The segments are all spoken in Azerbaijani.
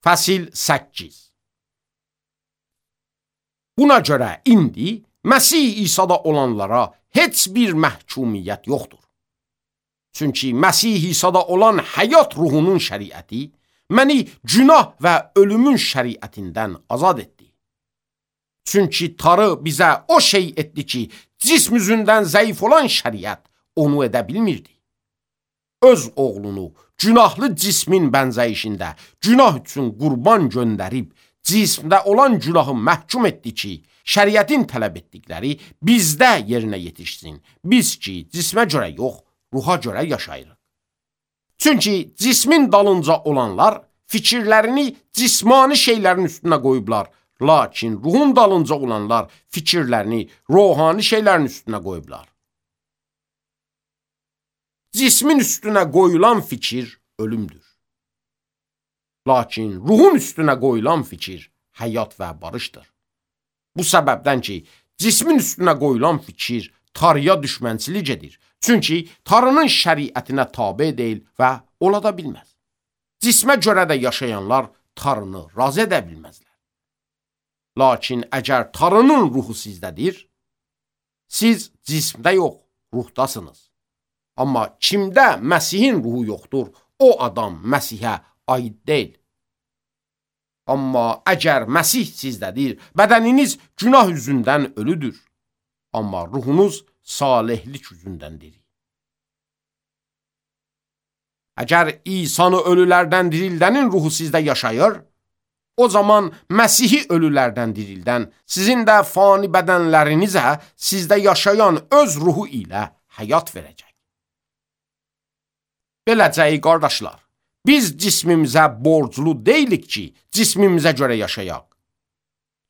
Fəsil 8. Buna görə indi Məsih İsa'da olanlara heç bir məhkumiyyət yoxdur. Çünki Məsih İsa'da olan həyat ruhunun şəriəti məni günah və ölümün şəriətindən azad etdi. Çünki Tanrı bizə o şey etdi ki, cism üzündən zəif olan şəriət onu edə bilmirdi. Öz oğlunu günahlı cismin bənzəyişində günah üçün qurban göndərib, cismdə olan günahı məhkum etdi ki, şəriətin tələb etdikləri bizdə yerinə yetişsin. Biz ki, cismə görə yox, ruha görə yaşayırıq. Çünki cismin dalınca olanlar fikirlərini cismani şeylərin üstünə qoyublar, lakin ruhun dalınca olanlar fikirlərini ruhani şeylərin üstünə qoyublar. Cismin üstünə qoyulan fikir ölümdür. Lakin ruhun üstünə qoyulan fikir həyat və barışdır. Bu səbəbdən ki, cismin üstünə qoyulan fikir Tanrıya düşmənçilik edir. Çünki Tanrının şəriətinə tabe deyil və ola da bilməz. Cismə görə də yaşayanlar Tanrını razı edə bilməzlər. Lakin əgər Tanrının ruhu sizdədir, siz cismdə yox, ruhdasınız. Amma kimdə Məsihin ruhu yoxdur, o adam Məsihə aid deyil. Amma əgər Məsih sizdədir, bədəniniz günah üzündən ölüdür. Amma ruhunuz salihlik üzündəndir. Əgər İsa'nı ölülərdən dirildənin ruhu sizdə yaşayır, o zaman Məsihi ölülərdən dirildən sizin də fani bədənlərinizə sizdə yaşayan öz ruhu ilə həyat verəcək. Beləcə, qardaşlar, biz cismimizə borclu deyilik ki, cismimizə görə yaşayaq.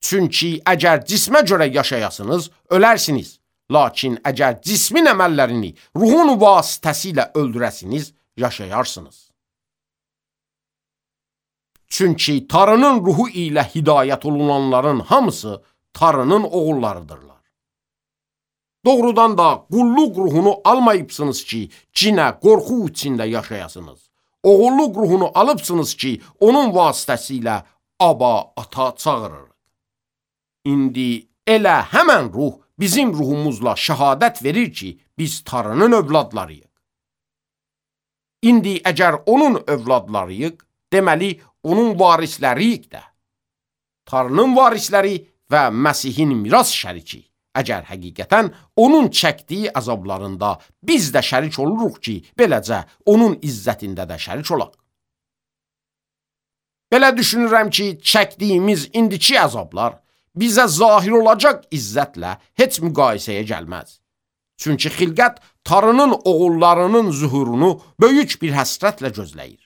Çünki əgər cismə görə yaşayasınız, ölərsiniz. Lakin əgər cismin əməllərini ruhun vasitəsilə öldürəsiniz, yaşayarsınız. Çünki Tanrının ruhu ilə hidayət olunanların hamısı Tanrının oğullarıdırlar. Doğrudan da qulluq ruhunu almayıbsınız ki, cinə, qorxu içində yaşayasınız. Oğulluq ruhunu alıbsınız ki, onun vasitəsilə Aba, ata çağırırıq. İndi elə həmən ruh bizim ruhumuzla şəhadət verir ki, biz Tanrının övladlarıyıq. İndi əgər onun övladlarıyıq, deməli, onun varisləriyik də. Tanrının varisləri və Məsihin miras şəriki. Əgər həqiqətən onun çəkdiyi əzablarında biz də şərik oluruq ki, beləcə onun izzətində də şərik olaq. Belə düşünürəm ki, çəkdiyimiz indiki əzablar bizə zahir olacaq izzətlə heç müqayisəyə gəlməz. Çünki xilqət Tanrının oğullarının zuhurunu böyük bir həsrətlə gözləyir.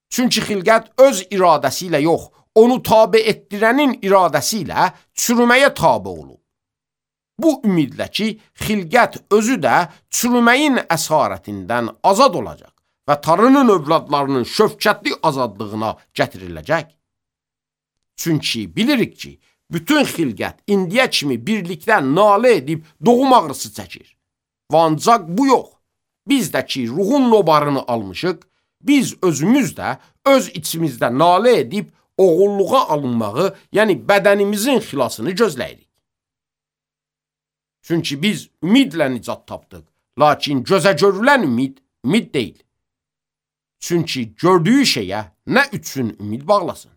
Çünki xilqət öz iradəsi ilə yox, onu tabe etdirənin iradəsi ilə çürüməyə tabe olub. Bu ümidlə ki, xilqət özü də çürüməyin əsarətindən azad olacaq və Tanrının övladlarının şövkətli azadlığına gətiriləcək. Çünki bilirik ki, bütün xilqət indiyə kimi birlikdə nalə edib doğum ağrısı çəkir. Və ancaq bu yox, biz də ki, ruhun nobarını almışıq, biz özümüz də öz içimizdə nalə edib oğulluğa alınmağı, yəni bədənimizin xilasını gözləyirik. Çünki biz ümidlə nicat tapdıq, lakin gözə görülən ümid deyil. Çünki gördüyü şeyə nə üçün ümid bağlasın?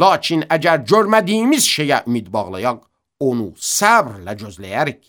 Lakin əgər görmədiyimiz şeyə ümid bağlayaq, onu səbrlə gözləyərik.